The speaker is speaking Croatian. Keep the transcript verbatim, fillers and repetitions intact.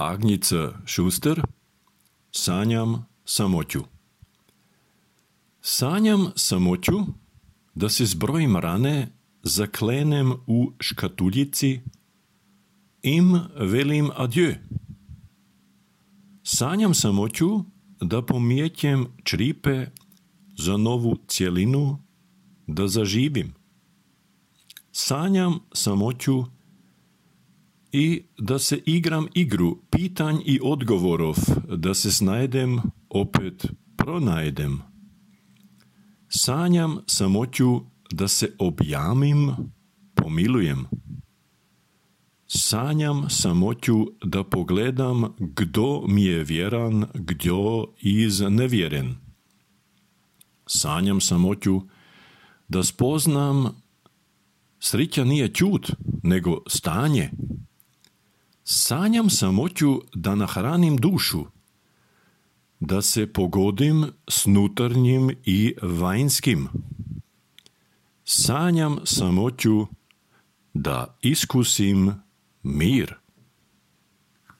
Agnica Šuster. Sanjam samoću. Sanjam samoću da se zbrojim rane, zaklenem u škatuljici, im velim adieu. Sanjam samoću da pomijećem čripe za novu cjelinu, da zaživim. Sanjam samoću i da se igram igru pitanj i odgovorov, da se snajdem, opet pronajdem. Sanjam samoću da se objamim, pomilujem. Sanjam samoću da pogledam kdo mi je vjeran, kdo iz nevjeren. Sanjam samoću da spoznam srića nije čut, nego stanje. Sanjam samoću da nahranim dušu, da se pogodim s nutarnjim i vanjskim. Sanjam samoću da iskusim mir.